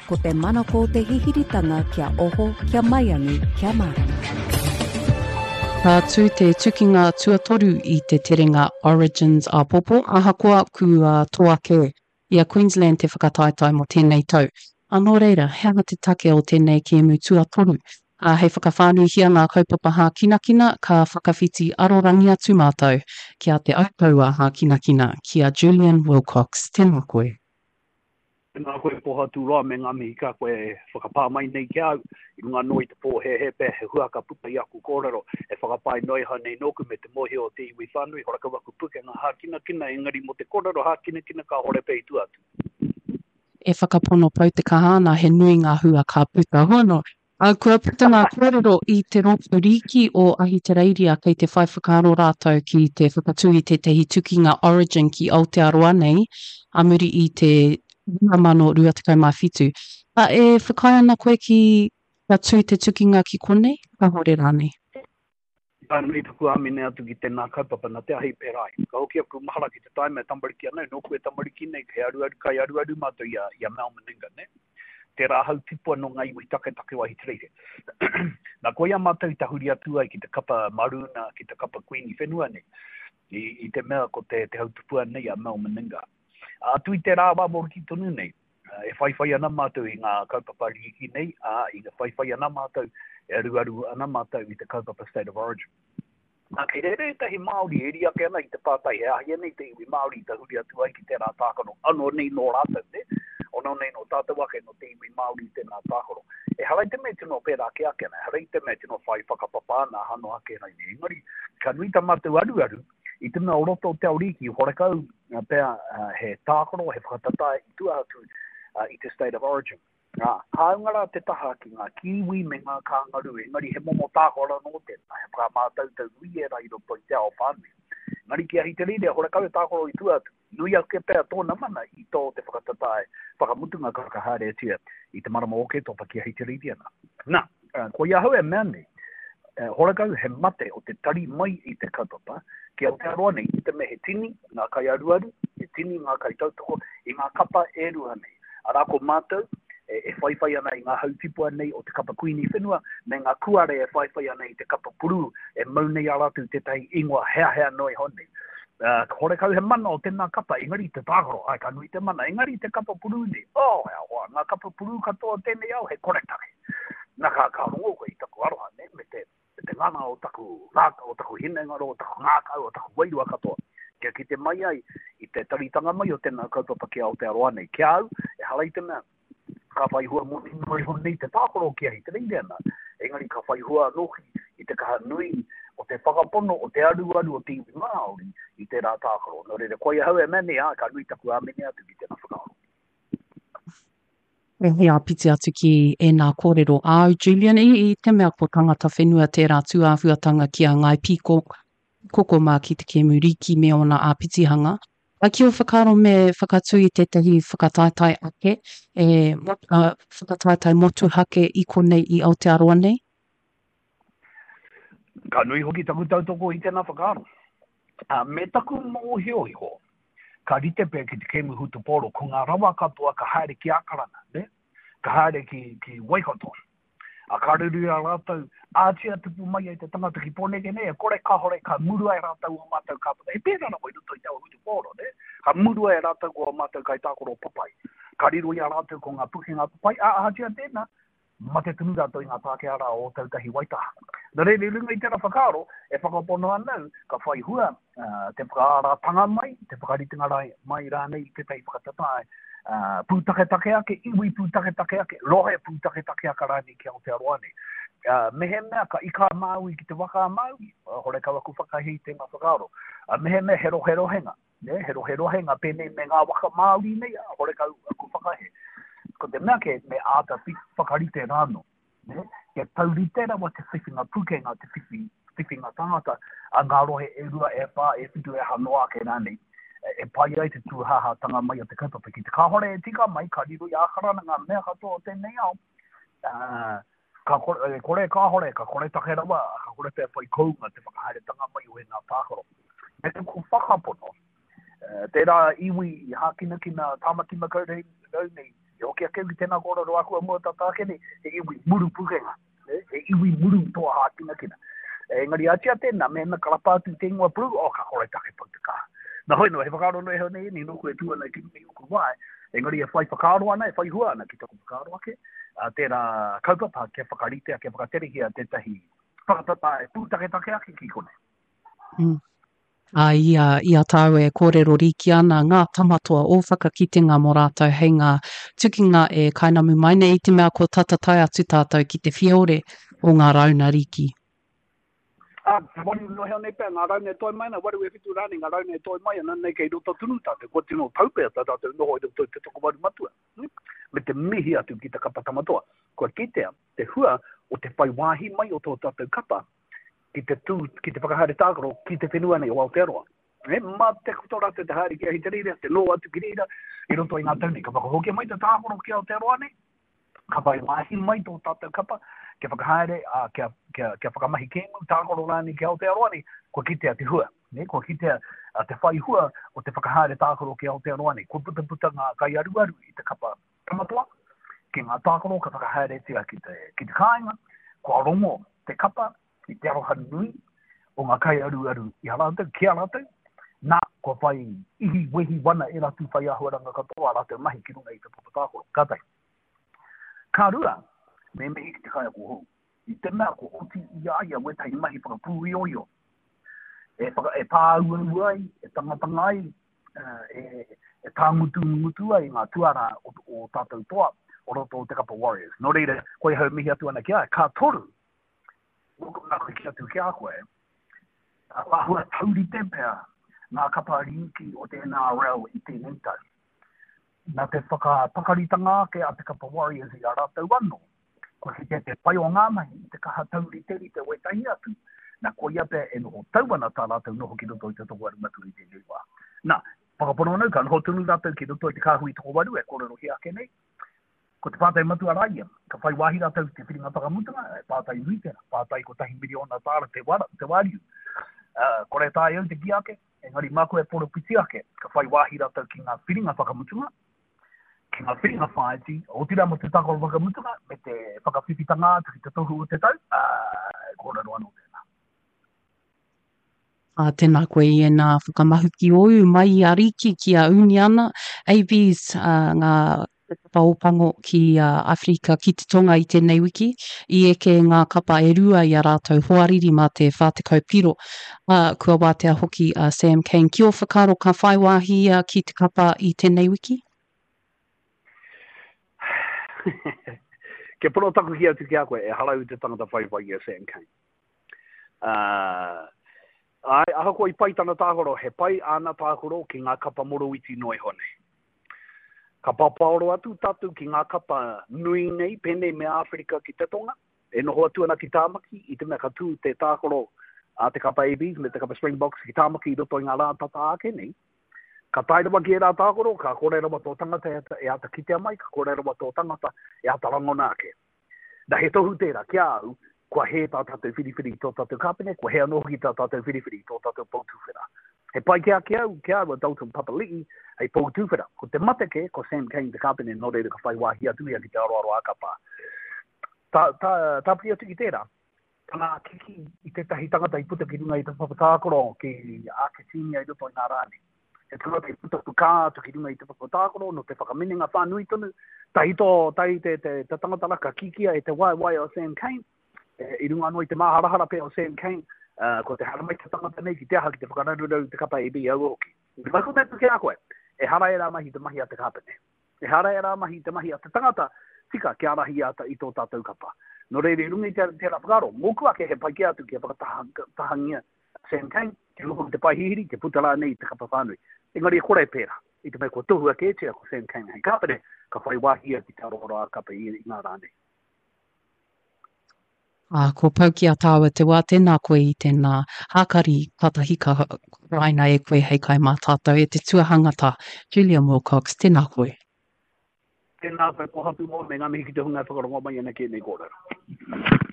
Ko te manako o te hihiritanga kia oho, kia maiangi, kia mārama. Ka tū te tukinga tuatoru i te terenga Origins āpōpō, ahakoa kua toa kē i a Queensland te whakataetae mō tēnei tau. Ā, nō reira, he aha te take o tēnei kēmu tuatoru? Ā, hei whakawhānuihia ngā kaupapa hākinakina, ka whakawhiti arorangi atu mātou ki a Te Autaua Hākinakina, ki a Julian Wilcox. Tēnā koe. Tēnā koe Pohaturoa me ngā mihi ka koe e whakapā mai nei ki a au, i runga anō i te pōhēhē pea he hua ka puta i aku kōrero e whakapae noa iho nei nōku me te mōhio o te iwi whānui, horakau aku pukenga hākinakina engari mō te kōrero hākinakina kāhore pea i tua atu. E whakapono pau te kaha ana he nui ngā hua ka puta. Hono, Ā, kua puta ngā kōrero i te Rōpū Rīki o Ahitereiria kei te whai whakaaro rātou ki te whakatū i tētahi tukinga Origin ki Aotearoa nei ā muri i te 2027. Ā, e whakaae ana koe ki kia tū te tukinga ki konei, kāhore rānei? Ka nui taku āmine atu ki tēnā kaupapa, nā te ahi pērā ai. Ka hoki aku mahara ki te taima e tamariki ana, nōku e tamariki nei, he aruaru, kai aruaru mātou i a, i a Mal Meninga, nē? Tērā hau tipua nō ngā iwi taketake o Ahitereiria. Nā, koia mātou i tahuri atu ai ki te kapa Maroona, ki te kapa Kuini whenua nei, i, i te mea ko te, te hau tupua nei a Mal Meninga. Atu i tērā wā moroki tonu nei, E whaiwhai ana mātou i ngā kaupapa rīki nei, ā, i whaiwhai ana mātou, e aruaru ana mātou i te kaupapa State of Origin. Nā, kei reira ētahi Māori e riri ake ana i te pātai he ahi nei te iwi Māori i tahuri atu ai ki tērā tākaro, anō nei nō rātou, nē? Anō nei nō tātou ake, nō te iwi Māori tēnā tākaro. Ehara i te mea tino pērā kē ake ana, ehara i te mea tino whai whakapapa ana aha noa ake rainei. Engari, ka nui tā mātou aruaru I te mea o roto o Te Aoriki, horekau pea he tākaro, he whakatata i tua atu i te State of Origin. Nā, hāunga rā te taha ki ngā Kiwi me ngā Kāngarū, engari he momo tākaro anō tēnā, he whakamātautau nui ērā i roto i te ao whānui. Engari ki Ahitereiria, horekau he tākaro i tua atu. Nui ake pea tōna mana i tō te whakatatae whakamutunga ka whakahaeretia i te marama o Oketopa ki Ahitereiria nā. Nā, koia ahau e mea nei, horakau he mate o te tari mai i te kaupapa ki Aotearoa nei i te mea he tini ngā kaiaruaru, he tini ngā kaitautoko i ngā kapa e rua nei. Arā ko mātou e whaiwhai ana i ngā hautipua nei o te kapa Kuini Whenua me ngā kuare e whaiwhai ana i te kapa Purū e mau nei a rātou tētahi ingoa heahea noa iho nei. Uh, horekau he mana o tēnā kapa, engari te tākaro, ai, ka nui te mana, engari te kapa purū nei, oh, hea hoa, ngā kapa purū katoa o tēnei ao, he koretake. Nā, ka, ka rongo koe i taku aroha, ne, me te, me te ngana o taku ngākau, o taku hinengaro, o taku ngākau, o taku wairua katoa, kia kite mai ai i te taritanga mai o tēnā kaupapa ki Aotearoa nei. Ki a au, ehara i te mea, ka whai hua moni noa iho nei te tākaro ki Ahitereiria nā, engari ka whai hua anō hoki i te kaha nui o te whakapono, o te aruaru o te iwi Māori i tērā tākaro. Nō reira, koia ahau e mea nei, ā, ka nui taku āmine atu ki tēnā whakaaro. He āpiti atu ki ēnā kōrero āu, Julian, i, i te mea ko tangata whenua tērā tūāhuatanga ki a Ngāi Pīko, Koko mā ki te kēmu rīki me ōna āpitihanga. A ki ō whakaaro me whakatū i tētahi whakataetae ake, e, whakataetae motuhake i konei i Aotearoa nei? Ka nui hoki taku tautoko i tēnā whakaaro. Ā, me taku mōhio iho, ka rite pea ki te kēmu hutupōro, ko ngā rawa katoa ka haere ki Ākarana, nē? Ka haere ki, ki Waikato. A ka ruru i a rātou, ātia tupu mai ai te tangata ki Pōneke nei, e kore kāore ka murua e rātou ō mātou kāpata. He pērā rawa i roto i te ao hutupōro, nē? Ka murua e rātou ko ō mātou kaitākaro papai. Ka riro i a rātou ko ngā pukenga papai, ā, ahatia tēnā, mate tonu rātou i ngā Pākehā rā o Ōtautahi Waitaha. Nō reira, i runga i tērā whakaaro, e whakapono ana au, ka whai hua te whakaaratanga mai, te whakaritenga mai rānei i tētahi whakatata pūtaketake ake, iwi pūtaketake ake, rohe pūtaketake ake rānei ki Aotearoa nei. Mehemea ka ika a Māui ki te waka a Māui, horekau aku whakahē i tēnā whakaaro. Mehemea he roherohenga, nē, he roherohenga pēnei me ngā waka Māori nei, horekau aku whakahē. Ko te mea kē, me āta whakarite rānō. Nē, kia taurite rawa te whiwhinga pukenga, te whiwhi, whiwhinga tangata a ngā rohe e rua, e whā, e whitu, e aha noa ake rānei, e pai ai te tūhāhātanga mai o te kaupapa. Ki te kāhore e tika mai, ka riro i a Ākarana ngā mea katoa o tēnei ao, ā, ka kore, e kore kāhore, ka koretake rawa, ka kore pea whai kounga te whakahaeretanga mai o ēnā tākaro. Me taku whakapono, tērā iwi i hākinakina Tāmaki Makaurau nei, I hoki ake au ki tēnā kōrero āku a mua tata ake nei, he iwi muru pukenga, he iwi muru toa hākinakina. Engari atia tēnā, mēnā ka rapa atu te ingoa Brew, oh, ka kore take pau te kaha. Nā hoi nō, he whakaaro noa iho nei ēnei nōku e tū ana ki runga i ōku wae, engari e whai whakaaro ana, e whai hua ana ki taku whakaaro ake, ā, tērā kaupapa kia whakaritea, kia whakaterehia tētahi whakatata e pūtaketake ake ki konei. Mm. Ā, i a, i a tāua e kōrero rīki ana ngā tamatoa ō whakakitenga mō rātou hei ngā tukinga e kainamu mai nei i te mea kua tata tae atu tātou ki te whiore o ngā rauna rīki. Ā, te waru noa hea nei pea ngā rauna e toe mai ana, waru e whitu rānei ngā rauna e toe mai ana, nei kei roto tonu tātou, kua tino tau pea tā tātou noho i roto i te tokowaru matua, me te mihi atu ki te kapa tamatoa. Kua kitea te hua o te whai wāhi mai o tō tātou kapa ki te tū, ki te whakahaere tākaro ki te whenua nei o Aotearoa. E, mā te tō rātou te haere ki Ahitereiria, te noho atu ki reira i roto i ngā tau nei. Ka whakahokia mai te tākaro ki Aotearoa nei, ka whai wāhi mai tō tātou kapa kia whakahaere, ā, kia, kia, kia whakamahi kēmu, tākaro rānei ki Aotearoa nei, kua kitea te hua. Ne, kua kitea te whai hua o te whakahaere tākaro ki Aotearoa nei. Kua putaputa ngā kaiaruaru i te kapa tamatoa, ki ngā tākaro ka whakahaeretia ki te, ki te kāinga, kua rongo te kapa i te aroha nui o ngā kaiaruaru i a rātou, ki a rātou, nā, kua whai ihi, wehi, wana e rātou whai āhuaranga katoa ā rātou mahi ki runga i te papa tākaro. Ka tahi. Ka rua, me mihi ki te kaiako hou. I te mea kua oti i a ia wētahi mahi whakapūioio, e, whaka, e pāuaua ai, e tangatanga ai, e, e tāngutungutu ai ngā tuarā o, o tātou toa o roto o te kapa Warriors. Nō reira, koe hau mihi atu ana ki a ia. Ka toru, mōku nā koe ki atu ki a koe, kua āhua taurite pea ngā kapa rīki o te NRL i tēnei tau. Nā te whakapakaritanga ake a te kapa Warriors i a rātou anō, kua kitea te pai o ngā mahi i te kaha tauriterite wētahi atu, nā koia pea e noho tau ana tā rātou noho ki roto i te tokowaru matua i tēnei wā. Nā, whakapono ana au ka noho tonu rātou ki roto i te kāhui tokowaru e kōrerohia ake nei. Ko te pātai matua rā ia, ka whai wāhi rātou ki te whiringa whakamutunga, he pātai nui tērā, pātai kotahi miriona tāra te, wara, te wāriu. Uh, kore taea au te kī ake, engari māku e poropiti ake, ka whai wāhi rātou ki ngā whiringa whakamutunga, ki ngā whiringa whāiti, otirā mō te tākaro whakamutunga, me te whakawhiwhitanga atu ki te tohu o te tau, ā, e kōrero anō tēnā. Ā, tēnā koe i ēnā whakamahuki ōu mai i a Riki ki a Uniana, ABs, ā, ngā kapa Ōpango ki a Awherika ki te Tonga i tēnei wiki, i eke ngā kapa e rua i a rātou hoariri mā te 40 piro. Ā, kua wātea hoki a Sam Cane. Ki ō whakaaro ka whai wāhi ia ki te kapa i tēnei wiki? Kia pono taku kī atu ki a koe, ehara au i te tangata whaiwhai i a Sam Cane. Ā, āe, ahakoa i pai tana tākaro, he pai āna tākaro ki ngā kapa moroiti noa iho nei. Ka papaoro atu tātou ki ngā kapa nui nei, pēnei me Āwherika ki te Tonga, e noho atu ana ki Tāmaki, i te mea ka tū te tākaro a te kapa ABs me te kapa Springboks ki Tāmaki i roto i ngā rā tata ake nei. Ka tae rawa ki ērā tākaro, ka kore rawa tō tangata e āta kitea mai, ka kore rawa tō tangata e āta rangona ake. Na, he tohu tērā ki a au, kua hē tā tātou whiriwhiri i tō tātou kāpene, kua hē anō hoki tā tātou whiriwhiri i tō tātou pou tuwhera. He pai kē ake au, ki a au a Dalton Papali'i hei pou tuwhera. Ko te mate kē, ko Sam Cane te kāpene, nō reira ka whai wāhi atu ia ki te aroaro ā-kapa. Tā, tā, tāpiri atu ki tērā, tana kiki i tētahi tangata i puta ki runga i te papa tākaro ki Āketīnia i roto i ngā rā nei. He tangata i puta pukā atu ki runga i te papa tākaro nō te whakaminenga whānui tonu. Tahi tō, tahi te, te, te tangata rā ka kikia e te waewae o Sam Cane, e, i runga anō i te māharahara pea o Sam Cane, uh, ko te haramai te tangata nei ki te aha ki te whakararuraru te kapa AB aua hoki. I te maku ki a koe, ehara ērā mahi te mahi a te kāpene. Ehara ērā mahi i te mahi a te tangata tika kia ārahi i i tō tātou kapa. Nō reira, i runga i tērā whakaaro, mōku ake he pai kē atu kia whakatahangia Sam Cane, kia noho ki te pae hihiri, kia puta rānei i te kapa whānui. Engari e kore e pērā, i te mea kua tohua kētia ko Sam Cane hei kāpene, ka whai wāhi ia ki te aroaro ā-kapa i ngā rā nei. Ā, kua pau ki a tāua te wā, tēnā koe i tēnā hākari, kātahi ka horaina e koe hei kai mā tātou e te tuahangata, Julian Wilcox, tēnā koe. Tēnā koe Pohatu Moa me ngā mihi ki te hunga e whakarongo mai ana ki ēnei kōrero.